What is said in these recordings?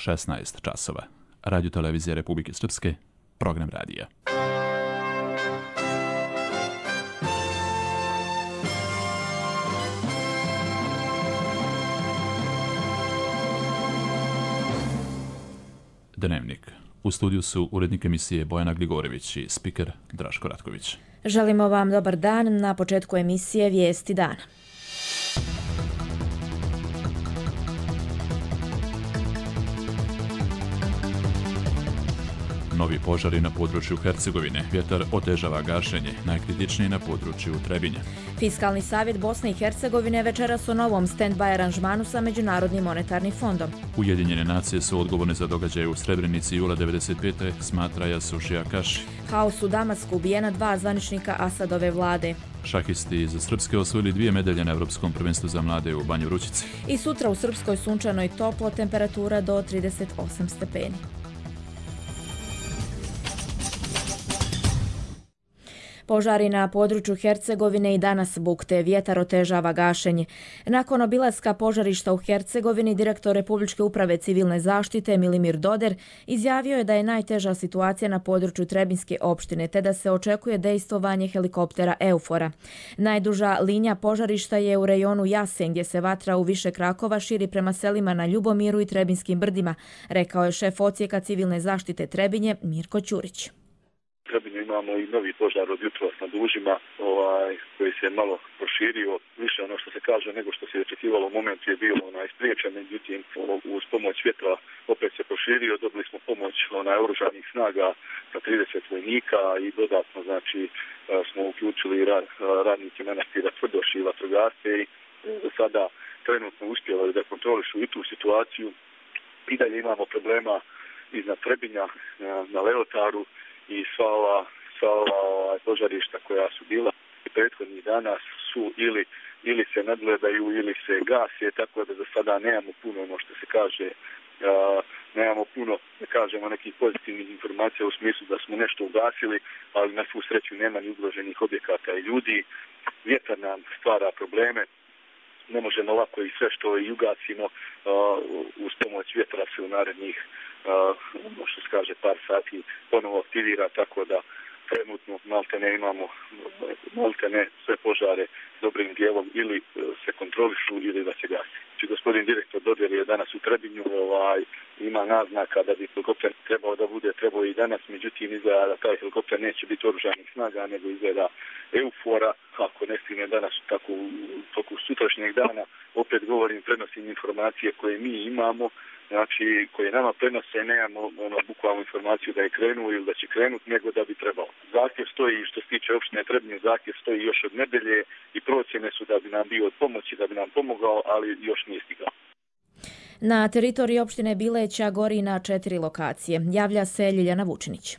16 časova. Radio televizija Republike Srpske, program radija. Dnevnik. U studiju su urednik emisije Bojana Gligorović i spiker Draško Ratković. Želimo vam dobar dan. Na početku emisije Vijesti dana. Novi požari na području Hercegovine. Vjetar otežava gašenje, najkritičniji na području Trebinja. Fiskalni savjet Bosne i Hercegovine večeras o novom stand-by aranžmanu sa Međunarodnim monetarnim fondom. Ujedinjene nacije su odgovorne za događaje u Srebrenici jula 95. smatra Jasušija Kaši. Haos u Damasku, ubijena 2 zvaničnika Asadove vlade. Šahisti iz Srpske osvojili 2 medalje na Evropskom prvenstvu za mlade u Banju Vrućici. I sutra u Srpskoj sunčano i toplo, temperatura do 38 stepeni. Požari na području Hercegovine i danas bukte, vjetar otežava gašenje. Nakon obilaska požarišta u Hercegovini, direktor Republičke uprave civilne zaštite Milimir Doder izjavio je da je najteža situacija na području Trebinjske opštine, te da se očekuje dejstvovanje helikoptera Eufora. Najduža linija požarišta je u rejonu Jasen, gdje se vatra u više krakova širi prema selima na Ljubomiru i Trebinjskim brdima, rekao je šef odsjeka civilne zaštite Trebinje Mirko Ćurić. Trebinju imamo i novi požar od jutros na Dužima, koji se malo proširio, više ono što se kaže nego što se očekivalo. Moment je bio spriječen, međutim uz pomoć vjetra opet se proširio, dobili smo pomoć oružanih snaga sa 30 vojnika i dodatno smo uključili radnike manastira Tvrdoš i vatrogasce i do sada trenutno uspjeli da kontrolišu i tu situaciju. I dalje imamo problema iznad Trebinja na Leotaru i sva ova požarišta koja su bila prethodnih dana su ili se nadgledaju ili se gase, tako da za sada nemamo puno, ono što se kaže, nemamo puno, da kažemo, nekih pozitivnih informacija u smislu da smo nešto ugasili, ali na svu sreću nema ni ugroženih objekata i ljudi. Vjetar nam stvara probleme, ne možemo lako i sve što i ugasimo uz pomoć vjetra se u narednih što se kaže par sati ponovo aktivira, tako da trenutno maltene imamo sve požare dobrim dijelom ili se kontrolišu ili da se gasi. Gospodin direktor Doder je danas u Trebinju, ima naznaka da bi helikopter trebao i danas, međutim izgleda da taj helikopter neće biti oružanih snaga, nego izgleda Eufora, ako ne stigne danas tako u toku sutrašnjeg dana. Opet govorim, prenosim informacije koje mi imamo, koje nama prenose, nemamo bukvalnu informaciju da je krenuo ili da će krenuti, nego da bi trebalo. Zahtjev stoji, što se tiče opštine Trebinje, zahtjev stoji još od nedelje i procjene su da bi nam bio od pomoći, da bi nam pomogao, ali još nije stigao. Na teritoriji opštine Bileća gori na 4 lokacije. Javlja se Ljiljana Vučinić.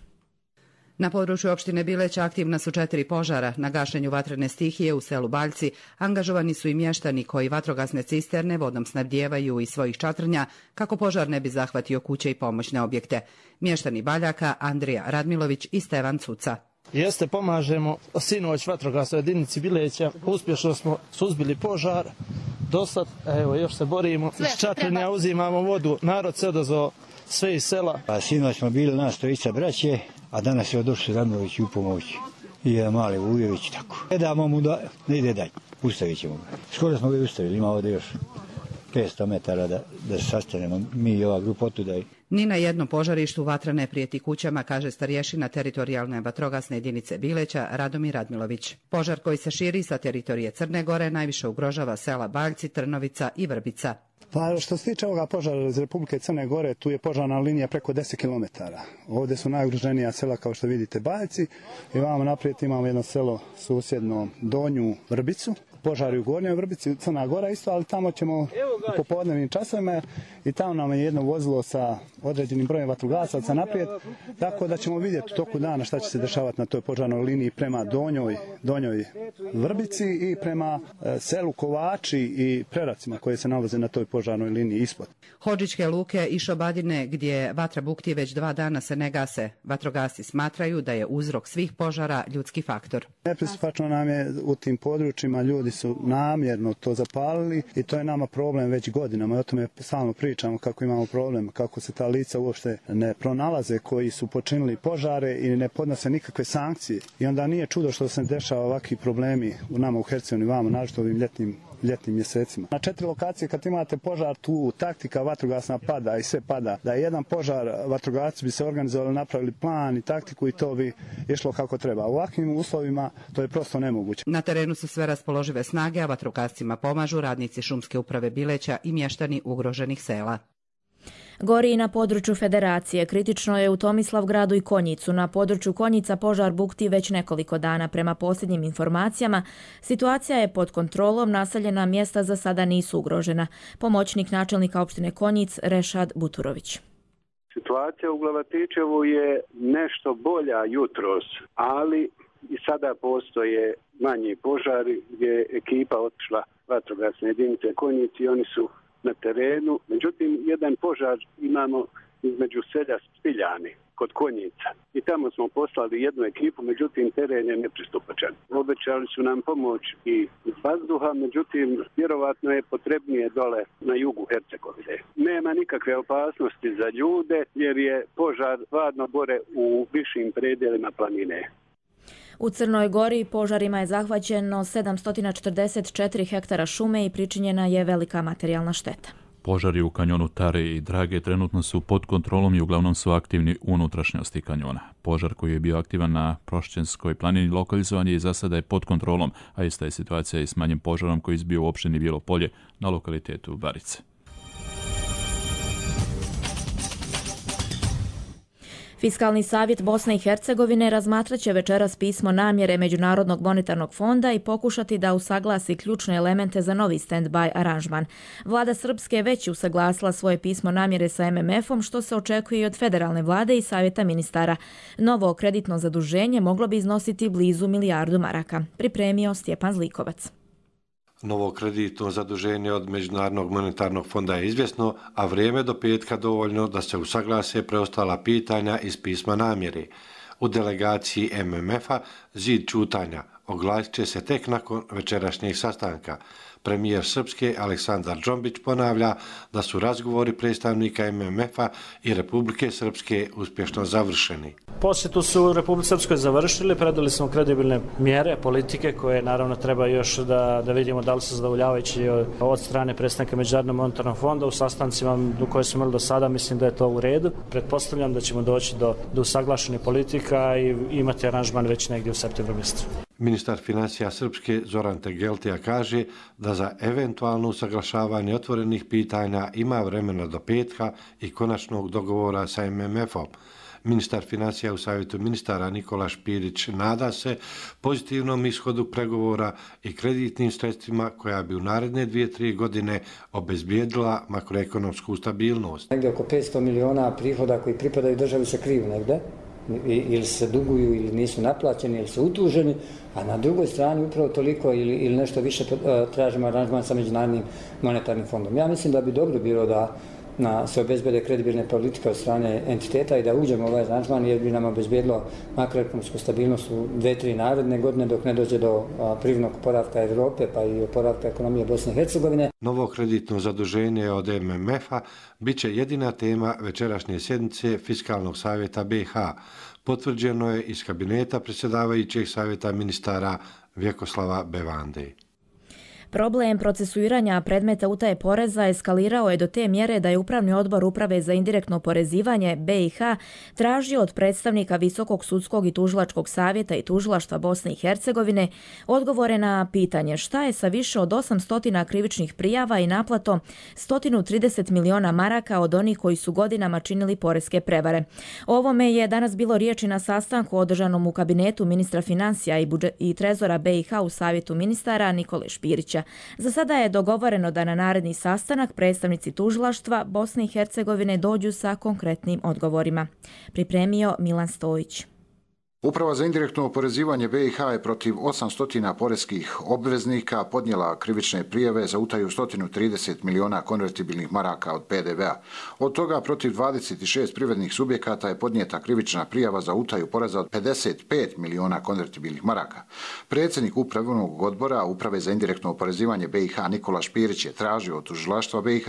Na području opštine Bileća aktivna su 4 požara. Na gašenju vatrene stihije u selu Baljci angažovani su i mještani koji vatrogasne cisterne vodom snabdijevaju iz svojih čatrnja kako požar ne bi zahvatio kuće i pomoćne objekte. Mještani Baljaka Andrija Radmilović i Stevan Cuca. Jeste, pomažemo sinoć vatrogasnoj jedinici Bileća. Uspješno smo suzbili požar. Dosad, evo, još se borimo. Iz čatrnja uzimamo vodu. Narod se odazvao sve iz sela. Sinoć smo bili nas trojica braće, a danas je došao Radmilović u pomoć. I jedan mali Vujović, tako. Ne damo mu da ne ide dalje. Ustavit ćemo ga. Skoro smo ga ustavili, ima ovdje još 500 metara da se sastanemo. Mi i ova grupa otuda. Ni na jednom požarištu vatra ne prijeti kućama, kaže starješina teritorijalne vatrogasne jedinice Bileća Radomir Radmilović. Požar koji se širi sa teritorije Crne Gore najviše ugrožava sela Baljci, Trnovica i Vrbica. Pa što se tiče ovoga požara iz Republike Crne Gore, tu je požarna linija preko 10 km. Ovdje su najugroženija sela, kao što vidite, Baljci. I vamo naprijed imamo jedno selo susjedno Donju Vrbicu. Požari u Gornjoj Vrbici, Crna Gora isto, ali tamo ćemo u popodnevnim časovima i tamo nam je jedno vozilo sa određenim brojem vatrogasaca naprijed, tako da ćemo vidjeti u toku dana šta će se dešavati na toj požarnoj liniji prema Donjoj Vrbici i prema selu Kovači i Preracima koje se nalaze na toj požarnoj liniji ispod. Hodžićke luke i Šobadine, gdje vatra bukti već 2 dana, se ne gase. Vatrogasci smatraju da je uzrok svih požara ljudski faktor. Nepristupačno nam je u tim područjima, ljudi su namjerno to zapalili i to je nama problem već godinama. I o tome stalno pričamo kako imamo problem, kako se ta lica uopšte ne pronalaze koji su počinili požare i ne podnose nikakve sankcije. I onda nije čudo što se dešava ovakvi problemi u nama u Hercegovini, vamo, naročito ovim ljetnim mjesecima. Na 4 lokacije kad imate požar, tu taktika vatrogasna pada i sve pada. Da je jedan požar, vatrogasci bi se organizovali, napravili plan i taktiku i to bi išlo kako treba. U ovakvim uslovima to je prosto nemoguće. Na terenu su sve raspoložive snage, a vatrogascima pomažu radnici šumske uprave Bileća i mještani ugroženih sela. Gori i na području Federacije. Kritično je u Tomislavgradu i Konjicu. Na području Konjica požar bukti već nekoliko dana. Prema posljednjim informacijama, situacija je pod kontrolom, naseljena mjesta za sada nisu ugrožena. Pomoćnik načelnika opštine Konjic, Rešad Buturović. Situacija u Glavatićevu je nešto bolja jutros, ali i sada postoje manji požari gdje je ekipa otišla vatrogasne jedinice Konjic i oni su na terenu. Međutim, jedan požar imamo između selja Spiljani kod Konjica i tamo smo poslali jednu ekipu, međutim teren je nepristupačan. Obećali su nam pomoć i iz vazduha, međutim vjerovatno je potrebnije dole na jugu Hercegovine. Nema nikakve opasnosti za ljude jer je požar stvarno gore u višim predjelima planine. U Crnoj Gori požarima je zahvaćeno 744 hektara šume i pričinjena je velika materijalna šteta. Požari u kanjonu Tare i Drage trenutno su pod kontrolom i uglavnom su aktivni u unutrašnjosti kanjona. Požar koji je bio aktivan na Prošćenskoj planini lokalizovan je i za sada je pod kontrolom, a ista je situacija i s manjim požarom koji je izbio u opštini Bijelo Polje na lokalitetu Barice. Fiskalni savjet Bosne i Hercegovine razmatrat će večeras pismo namjere Međunarodnog monetarnog fonda i pokušati da usaglasi ključne elemente za novi stand-by aranžman. Vlada Srpske je već usaglasila svoje pismo namjere sa MMF-om, što se očekuje i od federalne vlade i savjeta ministara. Novo kreditno zaduženje moglo bi iznositi blizu milijardu maraka. Pripremio Stjepan Zlikovac. Novo kreditno zaduženje od Međunarodnog monetarnog fonda je izvjesno, a vrijeme do petka dovoljno da se usaglase preostala pitanja iz pisma namjere. U delegaciji MMF-a zid čutanja oglasit će se tek nakon večerašnjeg sastanka. Premijer Srpske Aleksandar Džombić ponavlja da su razgovori predstavnika MMF-a i Republike Srpske uspješno završeni. Posjetu su u Republike Srpskoj završili, predali smo kredibilne mjere, politike koje naravno treba još da vidimo da li su zadovoljavajući od strane predstavnika Međunarodnog monetarnog fonda. U sastancima koje smo imali do sada mislim da je to u redu. Pretpostavljam da ćemo doći do usaglašenih politika i imati aranžman već negdje u septembru mjesecu. Ministar financija Srpske Zoran Tegeltija kaže da za eventualno usaglašavanje otvorenih pitanja ima vremena do petka i konačnog dogovora sa MMF-om. Ministar financija u savjetu ministara Nikola Špirić nada se pozitivnom ishodu pregovora i kreditnim sredstvima koja bi u naredne 2-3 godine obezbijedila makroekonomsku stabilnost. Negdje oko 500 miliona prihoda koji pripadaju državi se kriju negde, ili se duguju ili nisu naplaćeni ili su utuženi, a na drugoj strani upravo toliko ili nešto više tražimo aranžman sa Međunarodnim monetarnim fondom. Ja mislim da bi dobro bilo da se obezbede kredibilne politike od strane entiteta i da uđemo u ovaj aranžman jer bi nam obezbijedilo makroekonomsku stabilnost u 2-3 naredne godine dok ne dođe do privrednog oporavka Evrope pa i oporavka ekonomije Bosne i Hercegovine. Novo kreditno zaduženje od MMF-a bit će jedina tema večerašnje sjednice Fiskalnog savjeta BiH. Potvrđeno je iz kabineta predsjedavajućeg savjeta ministara Vjekoslava Bevande. Problem procesuiranja predmeta utaje poreza eskalirao je do te mjere da je Upravni odbor Uprave za indirektno oporezivanje BiH tražio od predstavnika Visokog sudskog i tužilačkog savjeta i tužilaštva Bosne i Hercegovine odgovore na pitanje šta je sa više od 800 krivičnih prijava i naplatom 130 miliona maraka od onih koji su godinama činili poreske prevare. O ovome je danas bilo riječi na sastanku održanom u kabinetu ministra financija i trezora BiH u savjetu ministara Nikole Špirića. Za sada je dogovoreno da na naredni sastanak predstavnici tužilaštva Bosne i Hercegovine dođu sa konkretnim odgovorima. Pripremio Milan Stojić. Uprava za indirektno oporezivanje BiH je protiv 800 poreskih obveznika podnijela krivične prijave za utaju 130 miliona konvertibilnih maraka od PDV-a. Od toga protiv 26 privrednih subjekata je podnijeta krivična prijava za utaju poreza od 55 miliona konvertibilnih maraka. Predsjednik Upravnog odbora Uprave za indirektno oporezivanje BiH Nikola Špirić je tražio od tužilaštva BiH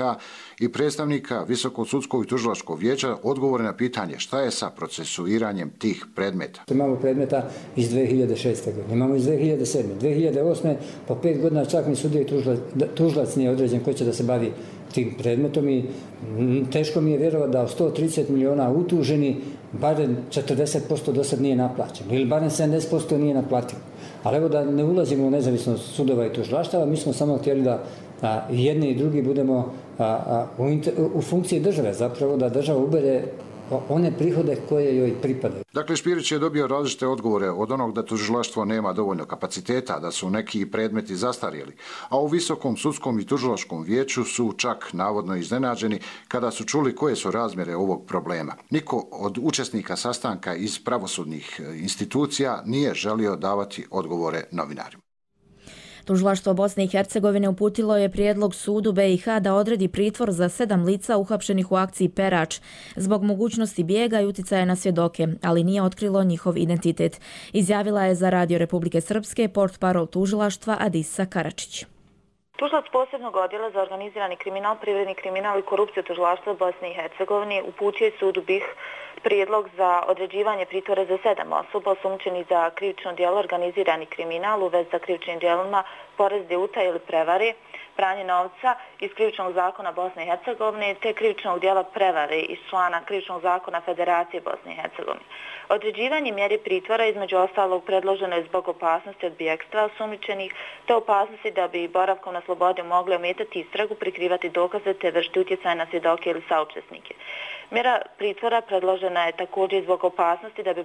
i predstavnika Visokog sudskog i tužilačkog vijeća odgovore na pitanje šta je sa procesuiranjem tih predmeta. Imamo predmeta iz 2006. godine, imamo iz 2007. 2008. po 5 godina čak ni sudija i tužilac nije određen ko će da se bavi tim predmetom i teško mi je vjerovati da od 130 miliona utuženi barem 40% do sad nije naplaćeno ili barem 70% nije naplativo. Ali evo da ne ulazimo u nezavisnost sudova i tužilaštava, mi smo samo htjeli da jedni i drugi budemo u funkciji države, zapravo da država ubere one prihode koje joj pripadaju. Dakle, Špirić je dobio različite odgovore od onog da tužilaštvo nema dovoljno kapaciteta, da su neki predmeti zastarjeli, a u Visokom sudskom i tužilačkom vijeću su čak navodno iznenađeni kada su čuli koje su razmjere ovog problema. Niko od učesnika sastanka iz pravosudnih institucija nije želio davati odgovore novinarima. Tužilaštvo Bosne i Hercegovine uputilo je prijedlog sudu BiH da odredi pritvor za 7 lica uhapšenih u akciji Perač zbog mogućnosti bijega i uticaja na svjedoke, ali nije otkrilo njihov identitet. Izjavila je za Radio Republike Srpske portparol tužilaštva Adisa Karačić. Tužilac posebnog odjela za organizirani kriminal, privredni kriminal i korupciju tužilaštva Bosne i Hercegovine uputio je sudu BiH prijedlog za određivanje pritvora za 7 osoba osumnjičenih za krivično djelo organizirani kriminal u vezi sa krivičnim djelima porezne utaje ili prevare, pranje novca iz krivičnog zakona Bosne i Hercegovine te krivičnog djela prevare iz člana krivičnog zakona Federacije Bosne i Hercegovine. Određivanje mjere pritvora između ostalog predloženo je zbog opasnosti od bijegstva osumnjičenih te opasnosti da bi boravkom na slobodi mogli ometati istragu, prikrivati dokaze te vršiti utjecaj na svjedoke ili saučesnike. Mjera pritvora predložena je također zbog opasnosti da bi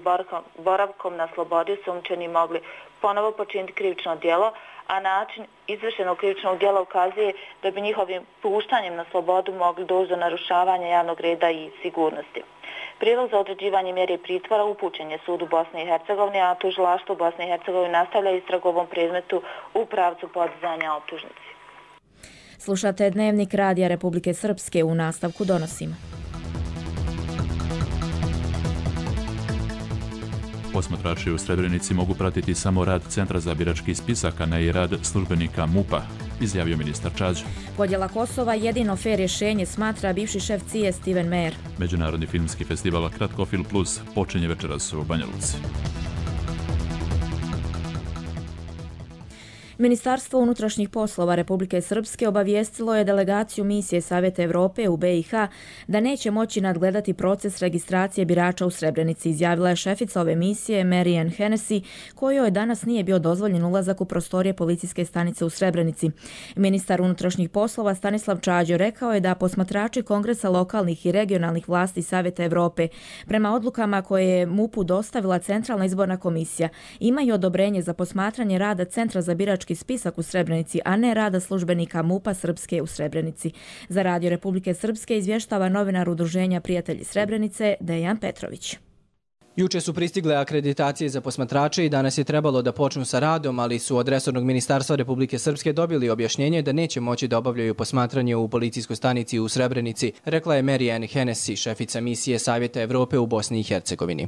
boravkom na slobodi osumnjičeni mogli ponovo počiniti krivično djelo, a način izvršenog krivičnog djela ukazuje da bi njihovim puštanjem na slobodu mogli doći do narušavanja javnog reda i sigurnosti. Prijedlog za određivanje mjere pritvora upućen je sudu Bosne i Hercegovine, a tužilaštvo Bosne i Hercegovine nastavlja istragu u ovom predmetu u pravcu podizanja optužnici. Slušate Dnevnik Radija Republike Srpske, u nastavku donosimo. Posmatrači u Srebrenici mogu pratiti samo rad Centra za birački spisak, a ne i rad službenika MUP-a, izjavio ministar Čađa. Podjela Kosova jedino fer rješenje, smatra bivši šef CIA Steven Meyer. Međunarodni filmski festival Kratkofilm Plus počinje večeras u Banja Luci. Ministarstvo unutrašnjih poslova Republike Srpske obavijestilo je delegaciju misije Savjeta Evrope u BiH da neće moći nadgledati proces registracije birača u Srebrenici, izjavila je šefica ove misije Marianne Hennessy, kojoj danas nije bio dozvoljen ulazak u prostorije policijske stanice u Srebrenici. Ministar unutrašnjih poslova Stanislav Čađo rekao je da posmatrači Kongresa lokalnih i regionalnih vlasti Savjeta Evrope prema odlukama koje je MUP-u dostavila Centralna izborna komisija imaju odobrenje za posmatranje rada Centra za birački spisak u Srebrenici, a ne rada službenika MUP-a Srpske u Srebrenici. Za Radio Republike Srpske izvještava novinar Udruženja Prijatelji Srebrenice Dejan Petrović. Juče su pristigle akreditacije za posmatrače i danas je trebalo da počnu sa radom, ali su od resornog ministarstva Republike Srpske dobili objašnjenje da neće moći da obavljaju posmatranje u policijskoj stanici u Srebrenici, rekla je Marianne Hennessy, šefica misije Savjeta Evrope u Bosni i Hercegovini.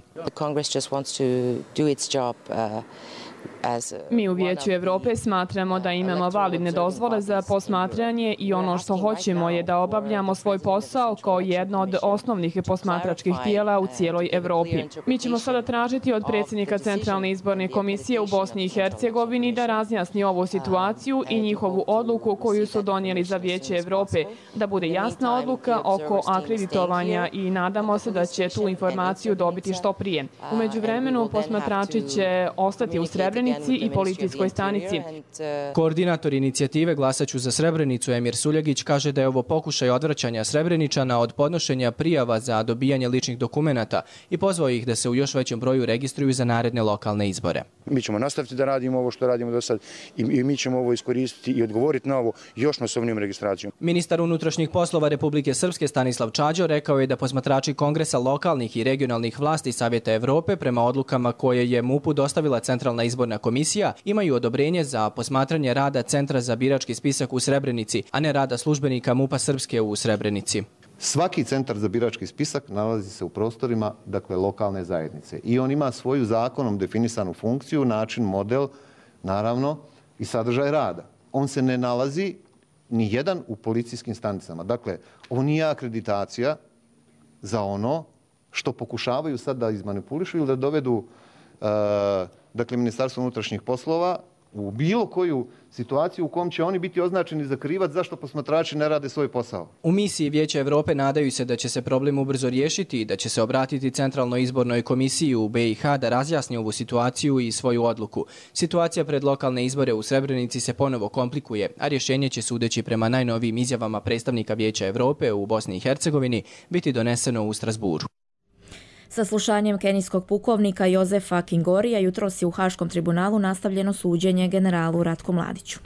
Mi u Vijeću Evrope smatramo da imamo validne dozvole za posmatranje i ono što hoćemo je da obavljamo svoj posao kao jedno od osnovnih posmatračkih tijela u cijeloj Evropi. Mi ćemo sada tražiti od predsjednika Centralne izborne komisije u Bosni i Hercegovini da razjasni ovu situaciju i njihovu odluku koju su donijeli za Vijeće Evrope, da bude jasna odluka oko akreditovanja i nadamo se da će tu informaciju dobiti što prije. U međuvremenu posmatrači će ostati u Srebrenici zajednici i policijskoj stanici. Koordinator inicijative Glasaću za Srebrenicu Emir Suljegić kaže da je ovo pokušaj odvraćanja Srebreničana od podnošenja prijava za dobijanje ličnih dokumenata i pozvao ih da se u još većem broju registruju za naredne lokalne izbore. Mi ćemo nastaviti da radimo ovo što radimo do sad i mi ćemo ovo iskoristiti i odgovoriti na ovo još masovnijom registracijom. Ministar unutrašnjih poslova Republike Srpske Stanislav Čađo rekao je da posmatrači Kongresa lokalnih i regionalnih vlasti Savjeta Evrope prema odlukama koje je MUP-u dostavila Centralna izborna komisija imaju odobrenje za posmatranje rada Centra za birački spisak u Srebrenici, a ne rada službenika MUP-a Srpske u Srebrenici. Svaki centar za birački spisak nalazi se u prostorima, dakle, lokalne zajednice i on ima svoju zakonom definisanu funkciju, način, model, naravno i sadržaj rada. On se ne nalazi ni jedan u policijskim stanicama. Dakle, ovo nije akreditacija za ono što pokušavaju sad da izmanipulišu ili da dovedu dakle, Ministarstvo unutrašnjih poslova u bilo koju situaciju u kom će oni biti označeni za krivac zašto posmatrači ne rade svoj posao. U misiji Vijeća Evrope nadaju se da će se problem ubrzo riješiti i da će se obratiti Centralnoj izbornoj komisiji u BiH da razjasni ovu situaciju i svoju odluku. Situacija pred lokalne izbore u Srebrenici se ponovo komplikuje, a rješenje će, sudeći prema najnovijim izjavama predstavnika Vijeća Evrope u Bosni i Hercegovini, biti doneseno u Strasburu. Saslušanjem kenijskog pukovnika Jozefa Kingorija jutros je u Haškom tribunalu nastavljeno suđenje generalu Ratku Mladiću.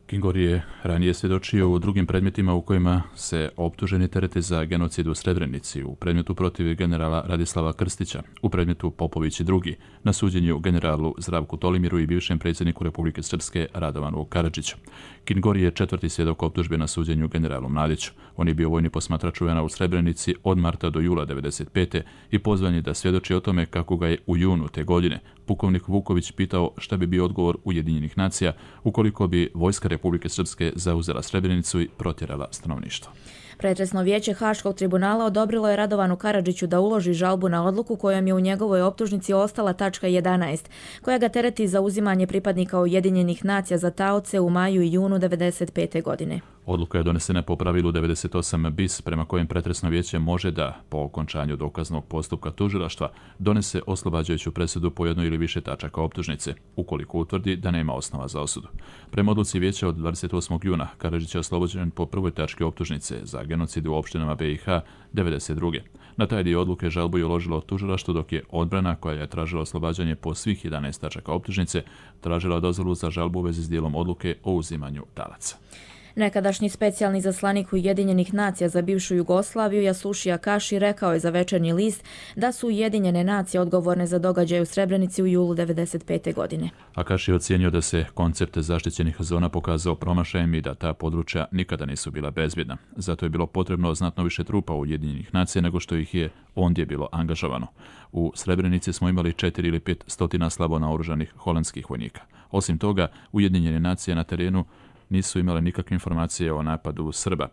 Kingori je ranije svjedočio u drugim predmetima u kojima se optuženi terete za genocid u Srebrenici, u predmetu protiv generala Radislava Krstića, u predmetu Popović i drugi, na suđenju generalu Zdravku Tolimiru i bivšem predsjedniku Republike Srpske Radovanu Karadžiću. Kingori je četvrti svjedok optužbe na suđenju generalu Mladiću. On je bio vojni posmatrač UN-a u Srebrenici od marta do jula 1995. i pozvan je da svjedoči o tome kako ga je u junu te godine pukovnik Vuković pitao šta bi bio odgovor Ujedinjenih nacija ukoliko bi vojska Republike Srpske zauzela Srebrenicu i protjerala stanovništvo. Pretresno vijeće Haškog tribunala odobrilo je Radovanu Karadžiću da uloži žalbu na odluku kojom je u njegovoj optužnici ostala tačka 11, koja ga tereti za uzimanje pripadnika Ujedinjenih nacija za taoce u maju i junu 1995. godine. Odluka je donesena po pravilu 98 bis, prema kojem pretresno vijeće može da, po okončanju dokaznog postupka tužilaštva, donese oslobađajuću presudu po jednoj ili više tačaka optužnice, ukoliko utvrdi da nema osnova za osudu. Prema odluci vijeća od 28. juna, Karadžić je oslobođen po prvoj tački optužnice za genocid u opštinama BiH 92. Na taj dio odluke žalbu je uložilo tužilaštvo, dok je odbrana, koja je tražila oslobađanje po svih 11 tačaka optužnice, tražila dozvolu za žalbu u vezi s dijelom odluke o uzimanju talaca. Nekadašnji specijalni zaslanik Ujedinjenih nacija za bivšu Jugoslaviju Yasushi Akashi rekao je za Večernji list da su Ujedinjene nacije odgovorne za događaje u Srebrenici u julu 1995. godine. Akashi je ocijenio da se koncept zaštićenih zona pokazao promašajem i da ta područja nikada nisu bila bezbjedna. Zato je bilo potrebno znatno više trupa Ujedinjenih nacija nego što ih je ondje bilo angažovano. U Srebrenici smo imali 4 ili 5 stotina slabo naoružanih holandskih vojnika. Osim toga, Ujedinjene nacije na terenu nisu imale nikakve informacije o napadu Srba.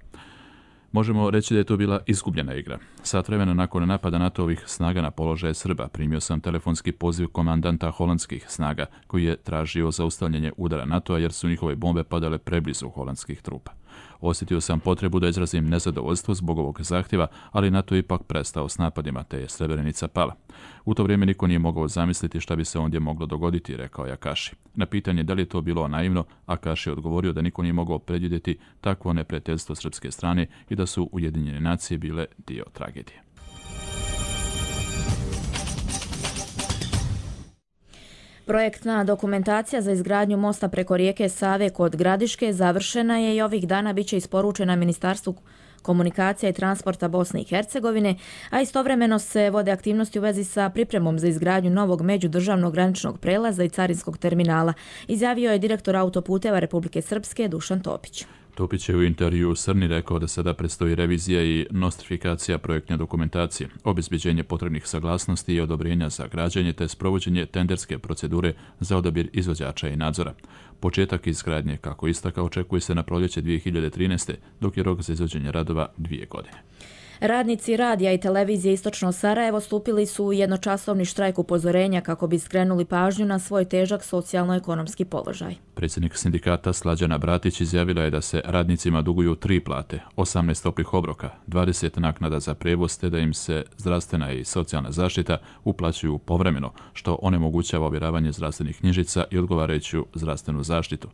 Možemo reći da je to bila izgubljena igra. Sat vremena nakon napada NATO-ovih snaga na položaje Srba primio sam telefonski poziv komandanta holandskih snaga koji je tražio zaustavljanje udara NATO-a jer su njihove bombe padale preblizu holandskih trupa. Osjetio sam potrebu da izrazim nezadovoljstvo zbog ovog zahtjeva, ali NATO je ipak prestao s napadima, te je Srebrenica pala. U to vrijeme niko nije mogao zamisliti šta bi se ondje moglo dogoditi, rekao je Akashi. Na pitanje da li je to bilo naivno, Akashi je odgovorio da niko nije mogao predvidjeti takvo neprijateljstvo srpske strane i da su Ujedinjene nacije bile dio tragedije. Projektna dokumentacija za izgradnju mosta preko rijeke Save kod Gradiške završena je i ovih dana biće isporučena Ministarstvu komunikacija i transporta Bosne i Hercegovine, a istovremeno se vode aktivnosti u vezi sa pripremom za izgradnju novog međudržavnog graničnog prelaza i carinskog terminala, izjavio je direktor autoputeva Republike Srpske Dušan Topić. Topić je u intervju Srni rekao da sada predstoji revizija i nostrifikacija projektne dokumentacije, obezbeđenje potrebnih saglasnosti i odobrenja za građenje te sprovođenje tenderske procedure za odabir izvođača i nadzora. Početak izgradnje, kako istakao, očekuje se na proljeće 2013. dok je rok za izvođenje radova 2 godine. Radnici radija i televizije Istočno Sarajevo stupili su u jednočasovni štrajk upozorenja kako bi skrenuli pažnju na svoj težak socijalno-ekonomski položaj. Predsjednik sindikata Slađana Bratić izjavila je da se radnicima duguju 3 plate, 18 toplih obroka, 20 naknada za prijevoz te da im se zdravstvena i socijalna zaštita uplaćuju povremeno, što onemogućava ovjeravanje zdravstvenih knjižica i odgovarajuću zdravstvenu zaštitu.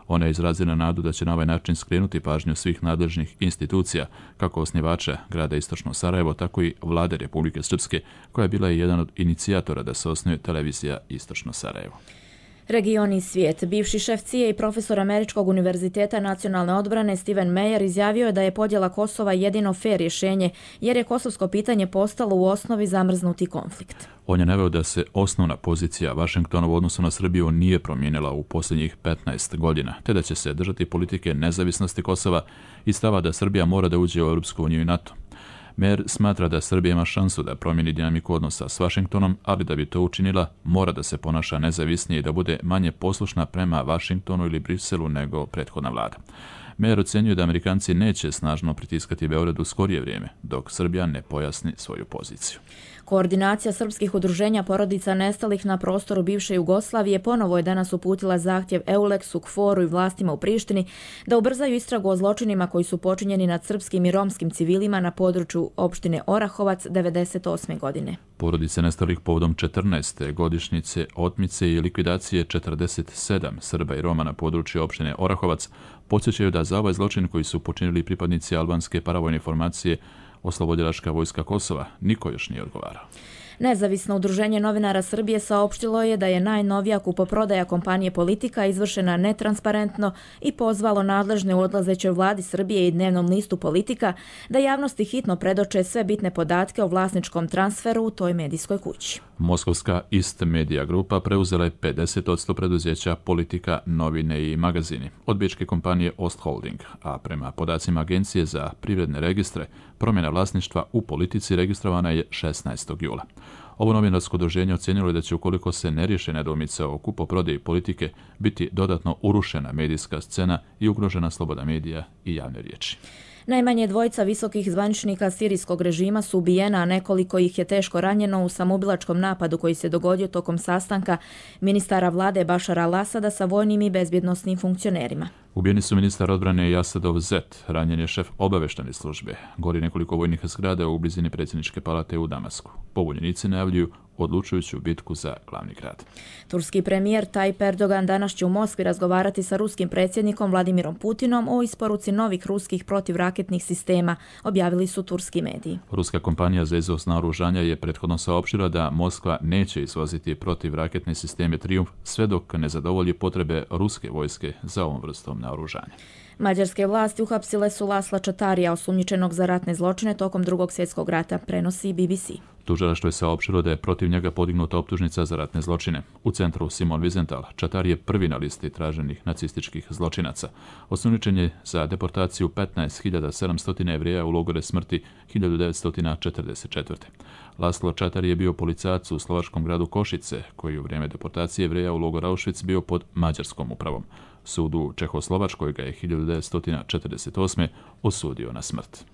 Ona je izrazila nadu da će na ovaj način skrenuti pažnju svih nadležnih institucija, kako osnivača grada Istočno Sarajevo, tako i vlade Republike Srpske, koja je bila i jedan od inicijatora da se osnuje televizija Istočno Sarajevo. Region i svijet. Bivši šef CIA i profesor Američkog univerziteta nacionalne odbrane Steven Meyer izjavio je da je podjela Kosova jedino fer rješenje, jer je kosovsko pitanje postalo u osnovi zamrznuti konflikt. On je naveo da se osnovna pozicija Vašingtona u odnosu na Srbiju nije promijenila u posljednjih 15 godina, te da će se držati politike nezavisnosti Kosova i stava da Srbija mora da uđe u Europsku uniju i NATO. Meyer smatra da Srbija ima šansu da promijeni dinamiku odnosa s Vašingtonom, ali da bi to učinila, mora da se ponaša nezavisnije i da bude manje poslušna prema Vašingtonu ili Briselu nego prethodna vlada. Meyer ocenjuje da Amerikanci neće snažno pritiskati Beograd u skorije vrijeme, dok Srbija ne pojasni svoju poziciju. Koordinacija srpskih udruženja porodica nestalih na prostoru bivše Jugoslavije ponovo je danas uputila zahtjev EULEX-u, KFOR-u i vlastima u Prištini da ubrzaju istragu o zločinima koji su počinjeni nad srpskim i romskim civilima na području opštine Orahovac 1998. godine. Porodice nestalih povodom 14. godišnjice otmice i likvidacije 47 Srba i Roma na području opštine Orahovac podsjećaju da za ovaj zločin koji su počinili pripadnici albanske paravojne formacije Oslobodilačka vojska Kosova niko još nije odgovarao. Nezavisno udruženje novinara Srbije saopštilo je da je najnovija kupoprodaja kompanije Politika izvršena netransparentno i pozvalo nadležne u odlazećoj vladi Srbije i dnevnom listu Politika da javnosti hitno predoče sve bitne podatke o vlasničkom transferu u toj medijskoj kući. Moskovska Ist Media grupa preuzela je 50% preduzeća Politika, novine i magazini od bečke kompanije Ostholding, a prema podacima Agencije za privredne registre, promjena vlasništva u Politici registrovana je 16. jula. Ovo novinarsko udruženje ocijenilo je da će, ukoliko se ne riješe nedoumice o kupoprodaji Politike, biti dodatno urušena medijska scena i ugrožena sloboda medija i javne riječi. Najmanje 2 visokih zvaničnika sirijskog režima su ubijena, a nekoliko ih je teško ranjeno u samoubilačkom napadu koji se dogodio tokom sastanka ministara vlade Bašara al-Asada sa vojnim i bezbjednosnim funkcionerima. Ubijeni su ministar odbrane i Asadov zet, ranjen je šef obaveštane službe. Gori nekoliko vojnih zgrada u blizini predsjedničke palate u Damasku. Pobunjenici najavljuju odlučujuću bitku za glavni grad. Turski premijer Tayyip Erdogan danas će u Moskvi razgovarati sa ruskim predsjednikom Vladimirom Putinom o isporuci novih ruskih protivraketnih sistema, objavili su turski mediji. Ruska kompanija za izvoz naoružanja je prethodno saopštila da Moskva neće izvoziti protivraketne sisteme Triumf sve dok ne zadovolji potrebe ruske vojske za ovom vrstom naoružanja. Mađarske vlasti uhapsile su Lasla Čatarija, osumnjičenog za ratne zločine tokom Drugog svjetskog rata, prenosi BBC. Tužilaštvo je saopštilo da je protiv njega podignuta optužnica za ratne zločine. U centru Simon Wiesenthal, Čatar je prvi na listi traženih nacističkih zločinaca. Osumnjičen je za deportaciju 15.700 Jevreja u logore smrti 1944. Laslo Čatar je bio policajac u slovačkom gradu Košice, koji u vrijeme deportacije Jevreja u logor Auschwitz bio pod mađarskom upravom. Sud u Čehoslovačkoj ga je 1948. osudio na smrt.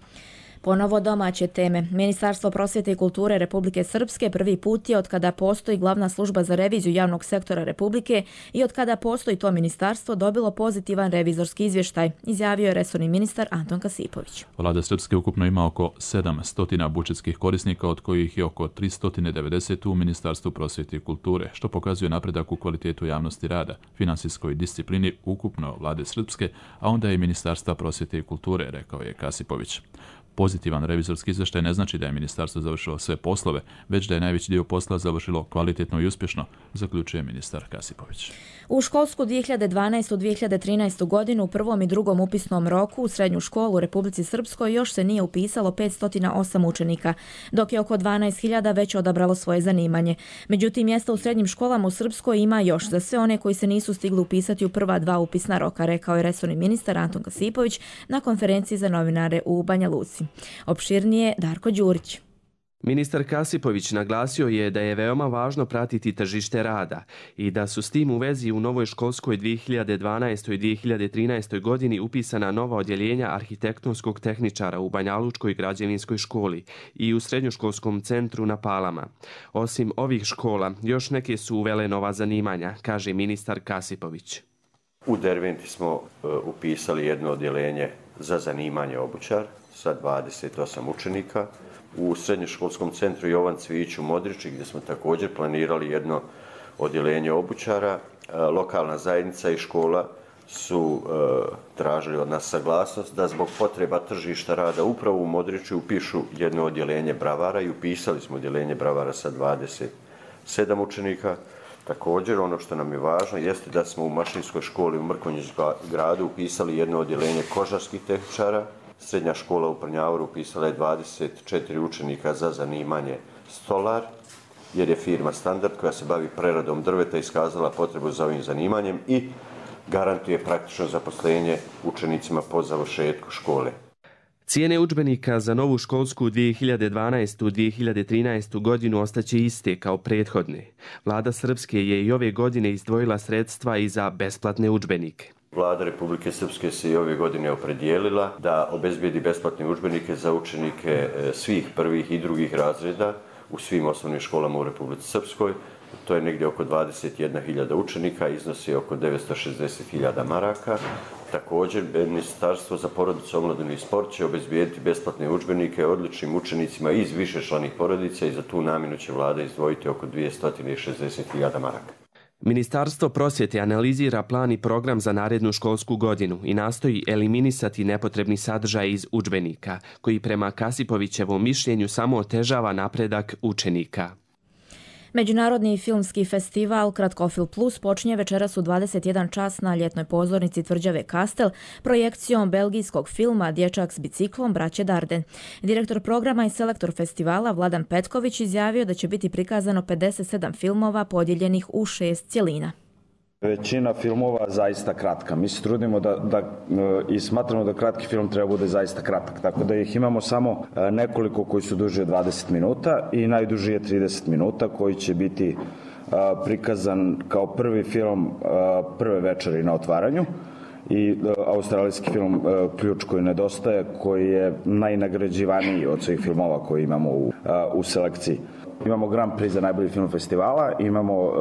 Ponovo domaće teme. Ministarstvo prosvjete i kulture Republike Srpske prvi put je, otkada postoji glavna služba za reviziju javnog sektora Republike i otkada postoji to ministarstvo, dobilo pozitivan revizorski izvještaj, izjavio je resorni ministar Anton Kasipović. Vlada Srpske ukupno ima oko 700 budžetskih korisnika, od kojih je oko 390 u Ministarstvu prosvjete i kulture, što pokazuje napredak u kvalitetu javnosti rada, finansijskoj disciplini ukupno Vlade Srpske, a onda i Ministarstva prosvjete i kulture, rekao je Kasipović. Pozitivan revizorski izvještaj ne znači da je ministarstvo završilo sve poslove, već da je najveći dio posla završilo kvalitetno i uspješno, zaključuje ministar Kasipović. U školsku 2012-2013 godinu u prvom i drugom upisnom roku u srednju školu u Republici Srpskoj još se nije upisalo 508 učenika, dok je oko 12.000 već odabralo svoje zanimanje. Međutim, mjesta u srednjim školama u Srpskoj ima još za sve one koji se nisu stigli upisati u prva 2 upisna roka, rekao je resorni ministar Anton Kasipović na konferenciji za novinare u Banja Luci. Opširnije Darko Đurić. Ministar Kasipović naglasio je da je veoma važno pratiti tržište rada i da su s tim u vezi u novoj školskoj 2012. i 2013. godini upisana nova odjeljenja arhitektonskog tehničara u Banjalučkoj građevinskoj školi i u srednjoškolskom centru na Palama. Osim ovih škola, još neke su uvele nova zanimanja, kaže ministar Kasipović. U Derventi smo upisali jedno odjeljenje za zanimanje obućar sa 28 učenika. U srednjoškolskom centru Jovan Cvijić u Modriči, gdje smo također planirali jedno odjeljenje obućara, lokalna zajednica i škola su tražili od nas saglasnost da zbog potreba tržišta rada upravo u Modriču upišu jedno odjeljenje bravara i upisali smo odjeljenje bravara sa 27 učenika. Također, ono što nam je važno jeste da smo u mašinskoj školi u Mrkonjićkom gradu upisali jedno odjeljenje kožarskih tehničara. Srednja škola u Prnjavoru upisala je 24 učenika za zanimanje stolar, jer je firma Standard koja se bavi preradom drveta iskazala potrebu za ovim zanimanjem i garantuje praktično zaposlenje učenicima po završetku škole. Cijene udžbenika za novu školsku 2012-2013 godinu ostaće iste kao prethodne. Vlada Srpske je i ove godine izdvojila sredstva i za besplatne udžbenike. Vlada Republike Srpske se i ove godine opredijelila da obezbijedi besplatne udžbenike za učenike svih prvih i drugih razreda u svim osnovnim školama u Republici Srpskoj. To je negdje oko 21.000 učenika, iznosi oko 960.000 maraka. Također, Ministarstvo za porodicu, omladinu i sport će obezbijediti besplatne udžbenike odličnim učenicima iz višečlanih porodica i za tu namjenu će vlada izdvojiti oko 260.000 maraka. Ministarstvo prosvjete analizira plan i program za narednu školsku godinu i nastoji eliminisati nepotrebni sadržaj iz udžbenika, koji prema Kasipovićevom mišljenju samo otežava napredak učenika. Međunarodni filmski festival Kratkofilm Plus počinje večeras u 21 čas na ljetnoj pozornici Tvrđave Kastel projekcijom belgijskog filma Dječak s biciklom braće Darden. Direktor programa i selektor festivala Vladan Petković izjavio da će biti prikazano 57 filmova podijeljenih u 6 cjelina. Većina filmova zaista kratka. Mi se trudimo i smatramo da kratki film treba bude zaista kratak. Tako da ih imamo samo nekoliko koji su duži od 20 minuta i najduži je 30 minuta koji će biti prikazan kao prvi film prve večeri na otvaranju i australijski film Ključ koji nedostaje, koji je najnagrađivaniji od svih filmova koje imamo u selekciji. Imamo Grand Prix za najbolji film festivala, imamo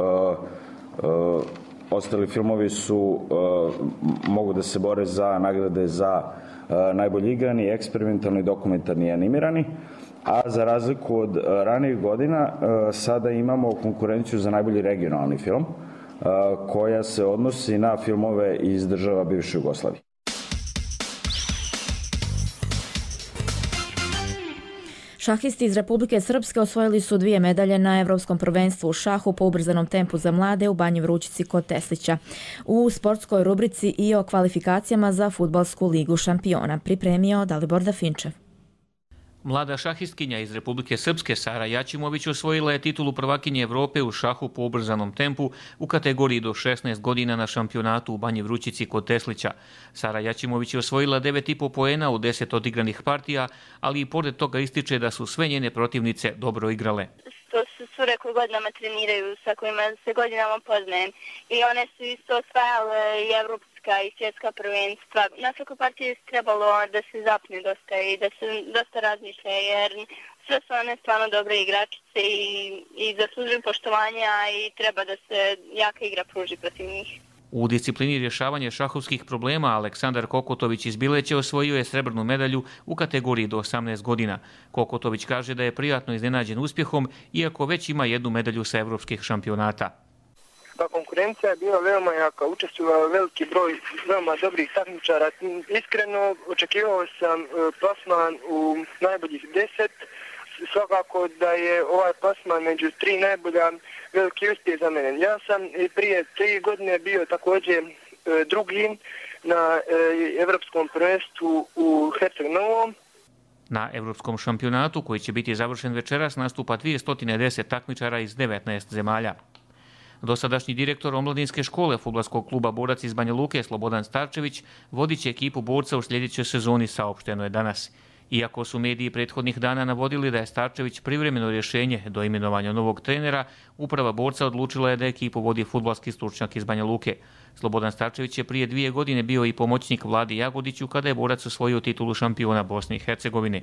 ostali filmovi mogu da se bore za nagrade za najbolji igrani, eksperimentalni, dokumentarni i animirani, a za razliku od ranijih godina sada imamo konkurenciju za najbolji regionalni film koja se odnosi na filmove iz država bivše Jugoslavije. Šahisti iz Republike Srpske osvojili su 2 medalje na Evropskom prvenstvu u šahu po ubrzanom tempu za mlade u Banji Vrućici kod Teslića. U sportskoj rubrici i o kvalifikacijama za Fudbalsku ligu šampiona pripremio Dalibor Dafinčev. Mlada šahistkinja iz Republike Srpske Sara Jačimović osvojila je titulu prvakinje Evrope u šahu po ubrzanom tempu u kategoriji do 16 godina na šampionatu u Banji Vrućici kod Teslića. Sara Jačimović je osvojila 9,5 poena u 10 odigranih partija, ali i pored toga ističe da su sve njene protivnice dobro igrale. To su cure koje godinama treniraju, sa kojima se godinama poznajem. I one su isto osvajale i evropska i svjetska prvenstva. Na svakoj partiji je trebalo da se zapne dosta i da se dosta razmišlja, jer sve su one stvarno dobre igračice i zaslužuju poštovanja i treba da se jaka igra pruži protiv njih. U disciplini rješavanja šahovskih problema Aleksandar Kokotović iz Bileće osvojio je srebrnu medalju u kategoriji do 18 godina. Kokotović kaže da je prijatno iznenađen uspjehom, iako već ima jednu medalju sa evropskih šampionata. Konkurencija je bila veoma jaka, učestvovao veliki broj veoma dobrih takmičara. Iskreno očekivao sam plasman u najboljih 10. Svakako da je ovaj plasman među 3 najbolja veliki uspjeh za mene. Ja sam prije 3 godine bio također drugi na Evropskom prvenstvu u Herceg Novom. Na Evropskom šampionatu, koji će biti završen večeras, nastupa 210 takmičara iz 19 zemalja. Dosadašnji direktor omladinske škole fudbalskog kluba Borac iz Banja Luke Slobodan Starčević vodit će ekipu Borca u sljedećoj sezoni, saopšteno je danas. Iako su mediji prethodnih dana navodili da je Starčević privremeno rješenje do imenovanja novog trenera, uprava Borca odlučila je da ekipu vodi fudbalski stručnjak iz Banja Luke. Slobodan Starčević je prije 2 godine bio i pomoćnik Vladi Jagodiću kada je Borac osvojio titulu šampiona Bosne i Hercegovine.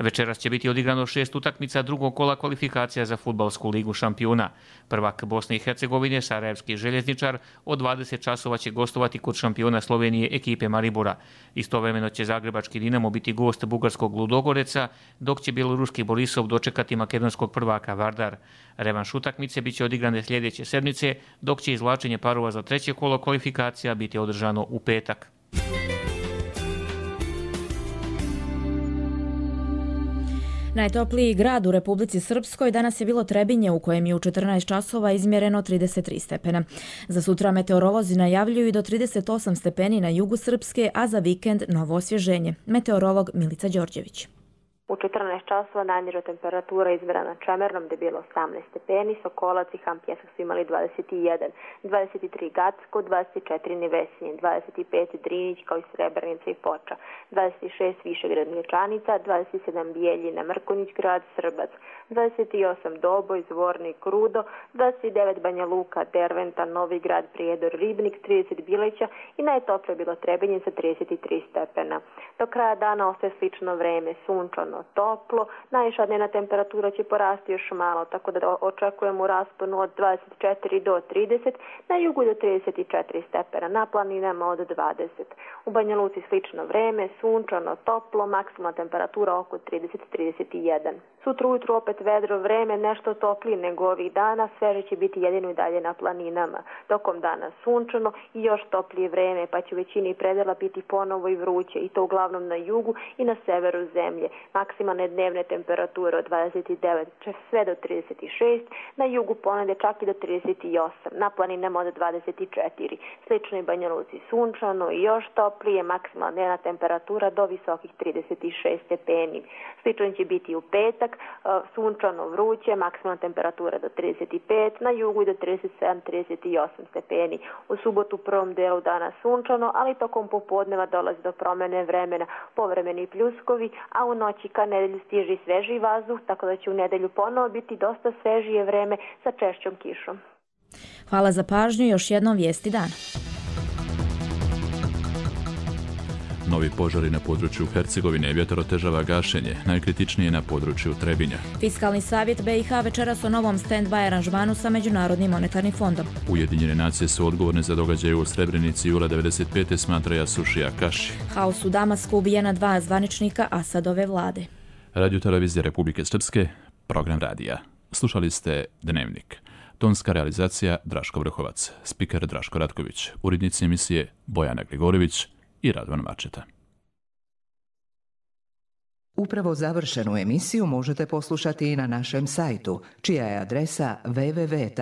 Večeras će biti odigrano 6 utakmica drugog kola kvalifikacija za fudbalsku ligu šampiona. Prvak Bosne i Hercegovine, Sarajevski željezničar, od 20 časova će gostovati kod šampiona Slovenije ekipe Maribora. Istovremeno će zagrebački Dinamo biti gost bugarskog Ludogoreca, dok će bjeloruski Borisov dočekati makedonskog prvaka Vardar. Revanš utakmice biće odigrane sljedeće sedmice, dok će izvlačenje parova za treće kolo kvalifikacija biti održano u petak. Najtopliji grad u Republici Srpskoj danas je bilo Trebinje, u kojem je u 14 časova izmjereno 33 stepena. Za sutra meteorolozi najavljuju i do 38 stepeni na jugu Srpske, a za vikend novo osvježenje. Meteorolog Milica Đorđević. U 14 časova najniža temperatura izmjerena Čemernom gdje je bilo 18 stepeni, Sokolac i Hampjesak su imali 21, 23 Gacko, 24 Nevesinje, 25 Drinić kao i Srebrenica i Foča, 26 Višegrad Mlječanica, 27 Bijeljina, Mrkonjić grad, Srbac, 28 Doboj, Zvornik, Rudo, 29 Banja Luka, Derventa, Novi grad, Prijedor, Ribnik, 30 Bileća i najtoplije bilo Trebinje sa 33 stepena. Do kraja dana ostaje slično vreme, sunčano, toplo, najviša dnevna temperatura će porasti još malo, tako da očekujemo u rasponu od 24 do 30, na jugu do 34 stepena, na planinama od 20. U Banja Luci slično vreme, sunčano, toplo, maksimalna temperatura oko 30-31. Sutra ujutru opet vedro vreme, nešto toplije nego ovih dana, sveže će biti jedino i dalje na planinama. Tokom dana sunčano i još toplije vreme, pa će u većini predela biti ponovo i vruće, i to uglavnom na jugu i na severu zemlje. Maksimalne dnevne temperature od 29 sve do 36, na jugu ponedje čak i do 38, na planinama od 24. Slično i Banja Luci sunčano i još toplije, maksimalna dnevna temperatura do visokih 36 stepeni. Slično će biti u petak, sunčano vruće, maksimalna temperatura do 35, na jugu i do 37-38 stepeni. U subotu u prvom delu dana sunčano, ali tokom popodneva dolazi do promjene vremena, povremeni pljuskovi, a u noći ka nedelju stiže svežiji vazduh, tako da će u nedelju ponovo biti dosta svežije vreme sa češćom kišom. Hvala za pažnju, još jednom vijesti dana. Novi požari na području Hercegovine, vjetar otežava gašenje, najkritičnije na području Trebinja. Fiskalni savjet BiH večeras o novom stand-by aranžmanu sa Međunarodnim monetarnim fondom. Ujedinjene nacije su odgovorne za događaje u Srebrenici jula 95. smatra Jasušija Kaši. Haos u Damasku, ubijena 2 zvaničnika Asadove vlade. Radio Televizija Republike Srpske, program radija. Slušali ste Dnevnik. Tonska realizacija Draško Vrhovac, spiker Draško Ratković, urednici emisije Bojana Gligorović i Radvan Mačeta. Upravo završenu emisiju možete poslušati i na našem sajtu, čija je adresa www.rtrs.tv.